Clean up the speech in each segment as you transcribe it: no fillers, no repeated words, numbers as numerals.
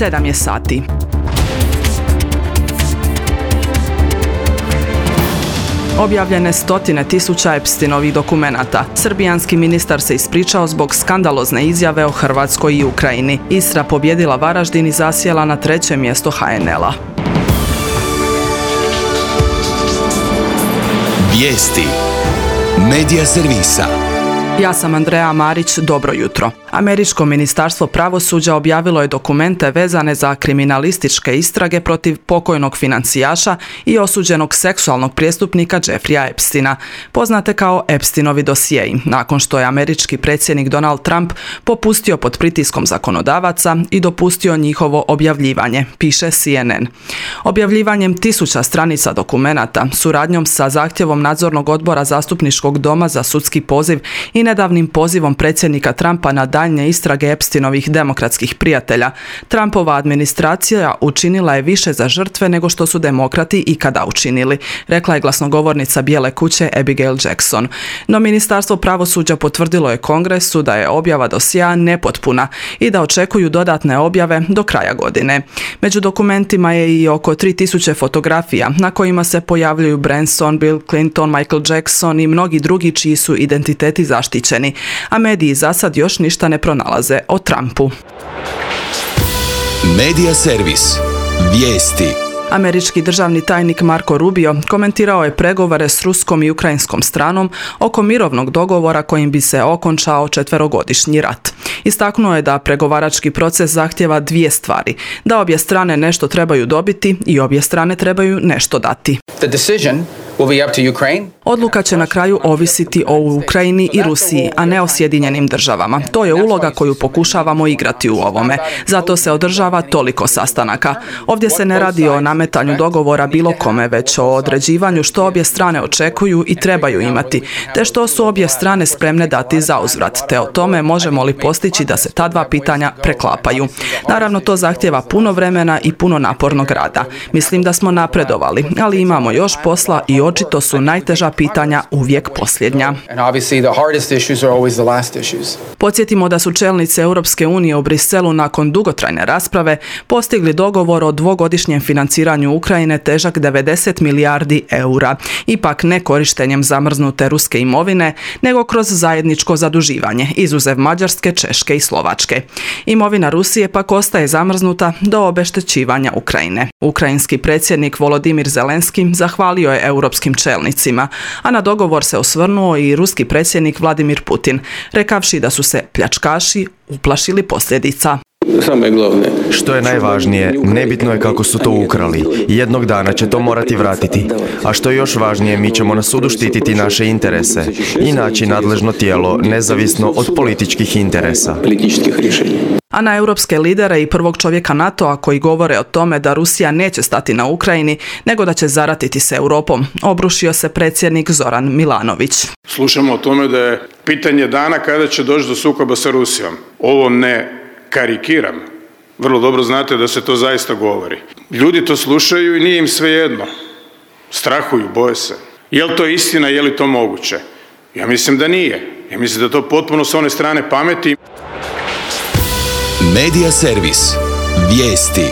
7 je sati. Objavljene stotine tisuća Epsteinovih dokumenata. Srbijanski ministar se ispričao zbog skandalozne izjave o Hrvatskoj i Ukrajini. Istra pobjedila Varaždin i zasjela na 3. mjesto HNL-a. Vijesti Medija servisa. Ja sam Andreja Marić, dobro jutro. Američko ministarstvo pravosuđa objavilo je dokumente vezane za kriminalističke istrage protiv pokojnog financijaša i osuđenog seksualnog prijestupnika Jeffreya Epsteina, poznate kao Epsteinovi dosjei, nakon što je američki predsjednik Donald Trump popustio pod pritiskom zakonodavaca i dopustio njihovo objavljivanje, piše CNN. Objavljivanjem tisuća stranica dokumenata, suradnjom sa zahtjevom nadzornog odbora Zastupničkog doma za sudski poziv i nedavnim pozivom predsjednika Trumpa na daljnje istrage Epsteinovih demokratskih prijatelja, Trumpova administracija učinila je više za žrtve nego što su demokrati ikada učinili, rekla je glasnogovornica Bijele kuće Abigail Jackson. No ministarstvo pravosuđa potvrdilo je Kongresu da je objava dosjea nepotpuna i da očekuju dodatne objave do kraja godine. Među dokumentima je i oko 3000 fotografija na kojima se pojavljuju Branson, Bill Clinton, Michael Jackson i mnogi drugi čiji su identiteti zaštićeni, a mediji za sad još ništa ne pronalaze o Trumpu. Medija servis. Vijesti. Američki državni tajnik Marco Rubio komentirao je pregovore s ruskom i ukrajinskom stranom oko mirovnog dogovora kojim bi se okončao 4-godišnji rat. Istaknuo je da pregovarački proces zahtijeva 2 stvari, da obje strane nešto trebaju dobiti i obje strane trebaju nešto dati. Odluka će na kraju ovisiti o Ukrajini i Rusiji, a ne o Sjedinjenim državama. To je uloga koju pokušavamo igrati u ovome. Zato se održava toliko sastanaka. Ovdje se ne radi o nametanju dogovora bilo kome, već o određivanju što obje strane očekuju i trebaju imati, te što su obje strane spremne dati za uzvrat, te o tome možemo li postići da se ta 2 pitanja preklapaju. Naravno, to zahtijeva puno vremena i puno napornog rada. Mislim da smo napredovali, ali imamo još posla i očito su najteža pitanja uvijek posljednja. Podsjetimo da su čelnici Europske unije u Briselu nakon dugotrajne rasprave postigli dogovor o 2-godišnjem financiranju Ukrajine težak 90 milijardi eura, ipak ne korištenjem zamrznute ruske imovine, nego kroz zajedničko zaduživanje, izuzev Mađarske, Češke i Slovačke. Imovina Rusije pak ostaje zamrznuta do obeštećivanja Ukrajine. Ukrajinski predsjednik Volodimir Zelenski zahvalio je europskim čelnicima, a na dogovor se osvrnuo i ruski predsjednik Vladimir Putin, rekavši da su se pljačkaši uplašili posljedica. Što je najvažnije, nebitno je kako su to ukrali. Jednog dana će to morati vratiti. A što je još važnije, mi ćemo na sudu štititi naše interese i naći nadležno tijelo nezavisno od političkih interesa. A na europske lidere i prvog čovjeka NATO-a koji govore o tome da Rusija neće stati na Ukrajini, nego da će zaratiti s Europom, obrušio se predsjednik Zoran Milanović. Slušamo o tome da je pitanje dana kada će doći do sukoba sa Rusijom. Ovo ne karikiram. Vrlo dobro znate da se to zaista govori. Ljudi to slušaju i nije im svejedno. Strahuju, boje se. Je li to istina, je li to moguće? Ja mislim da nije. Ja mislim da je to potpuno s one strane pameti. Medija servis. Vijesti.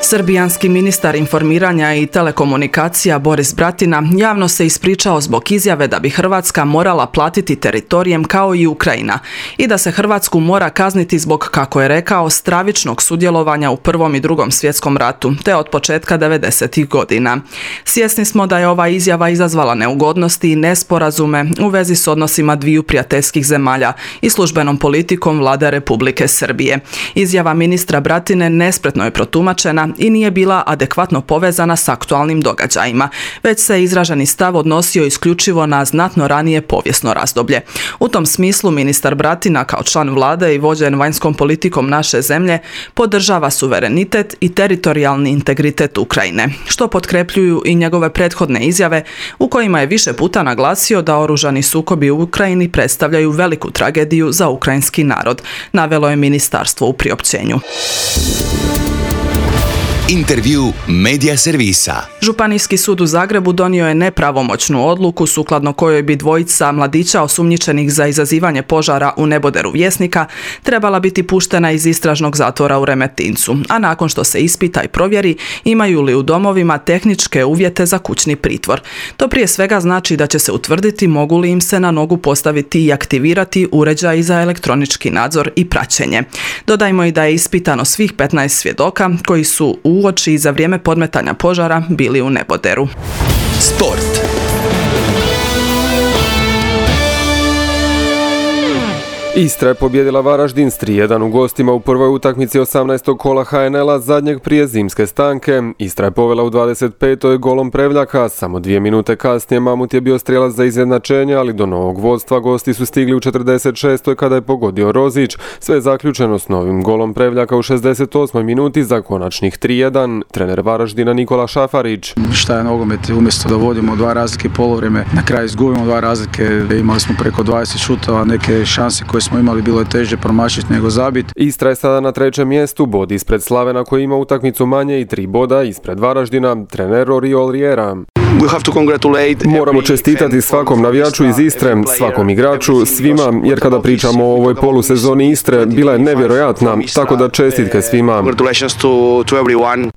Srbijanski ministar informiranja i telekomunikacija Boris Bratina javno se ispričao zbog izjave da bi Hrvatska morala platiti teritorijem kao i Ukrajina i da se Hrvatsku mora kazniti zbog, kako je rekao, stravičnog sudjelovanja u Prvom i Drugom svjetskom ratu, te od početka 90-ih godina. Svjesni smo da je ova izjava izazvala neugodnosti i nesporazume u vezi s odnosima dviju prijateljskih zemalja i službenom politikom Vlade Republike Srbije. Izjava ministra Bratine nespretno je protumačena i nije bila adekvatno povezana s aktualnim događajima, već se izraženi stav odnosio isključivo na znatno ranije povijesno razdoblje. U tom smislu ministar Bratina kao član vlade i vođen vanjskom politikom naše zemlje podržava suverenitet i teritorijalni integritet Ukrajine, što potkrepljuju i njegove prethodne izjave u kojima je više puta naglasio da oružani sukobi u Ukrajini predstavljaju veliku tragediju za ukrajinski narod, navelo je ministarstvo u priopćenju. Intervju Medija servisa. Županijski sud u Zagrebu donio je nepravomoćnu odluku sukladno kojoj bi dvojica mladića osumnjičenih za izazivanje požara u neboderu Vjesnika trebala biti puštena iz istražnog zatvora u Remetincu, a nakon što se ispita i provjeri imaju li u domovima tehničke uvjete za kućni pritvor. To prije svega znači da će se utvrditi mogu li im se na nogu postaviti i aktivirati uređaji za elektronički nadzor i praćenje. Dodajmo i da je ispitano svih 15 svjedoka koji su uoči i za vrijeme podmetanja požara bili u neboderu. Sport. Istra je pobjedila Varaždin s 3:1 u gostima u prvoj utakmici 18. kola HNL-a zadnjeg prije zimske stanke. Istra je povela u 25. golom Prevljaka, samo 2 minute kasnije Mamut je bio strijelac za izjednačenje, ali do novog vodstva gosti su stigli u 46. kada je pogodio Rozić. Sve je zaključeno s novim golom Prevljaka u 68. minuti za konačnih 3:1. Trener Varaždina Nikola Šafarić. Šta je nogomet, umjesto da vodimo 2 razlike poluvreme, na kraju izgubimo 2 razlike, imali smo preko 20 šutova, neke šanse koje smo imali bilo je teže promašiti nego zabiti. Istra je sada na 3. mjestu, bod ispred Slavena koji ima utakmicu manje i 3 boda ispred Varaždina, trener Oriol Riera. Moramo čestitati svakom navijaču iz Istre, svakom igraču, svima, jer kada pričamo o ovoj polusezoni Istre, bila je nevjerojatna, tako da čestitke svima.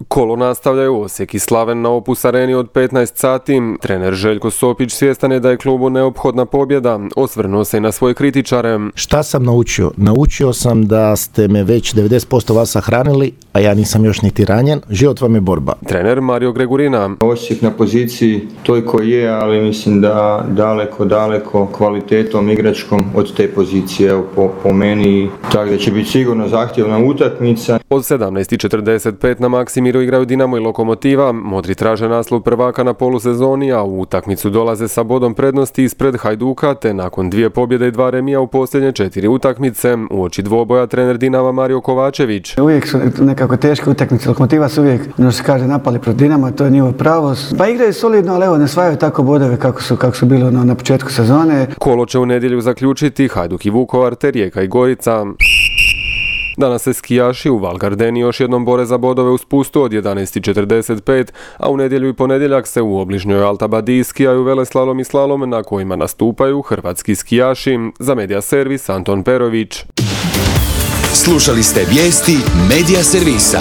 Kolo nastavljaju Osijek i Slaven na Opus Areni od 15 sati. Trener Željko Sopić svjestan je da je klubu neophodna pobjeda, osvrnuo se i na svoje kritičare. Šta sam naučio? Naučio sam da ste me već 90% vas sahranili, a ja nisam još niti ranjen. Život vam je borba. Trener Mario Gregurina. Osijek na poziciji toj koji je, ali mislim da daleko kvalitetom igračkom od te pozicije po meni, tako da će biti sigurno zahtjevna utakmica. Od 17:45 na Maksimiru igraju Dinamo i Lokomotiva. Modri traže naslov prvaka na polusezoni, a u utakmicu dolaze sa bodom prednosti ispred Hajduka, te nakon 2 pobjede i 2 remija u posljednje 4 utakmice. Uoči dvoboja trener Dinama Mario Kovačević. Uvijek su nekako teške utakmice. Lokomotiva su uvijek, se kaže, napali protiv Dinama, to je njihovo pravo. Pa igraju solidno, ali evo, ne svajaju tako bodove kako su bilo na početku sezone. Kolo će u nedjelju zaključiti Hajduk i Vukovar te Rijeka i Gorica. Danas se skijaši u Val Gardeni još jednom bore za bodove u spustu od 11:45, a u nedjelju i ponedjeljak se u obližnjoj Alta Badiji skijaju veleslalom i slalom na kojima nastupaju hrvatski skijaši. Za Medija servis Anton Perović. Slušali ste vijesti Medija servisa.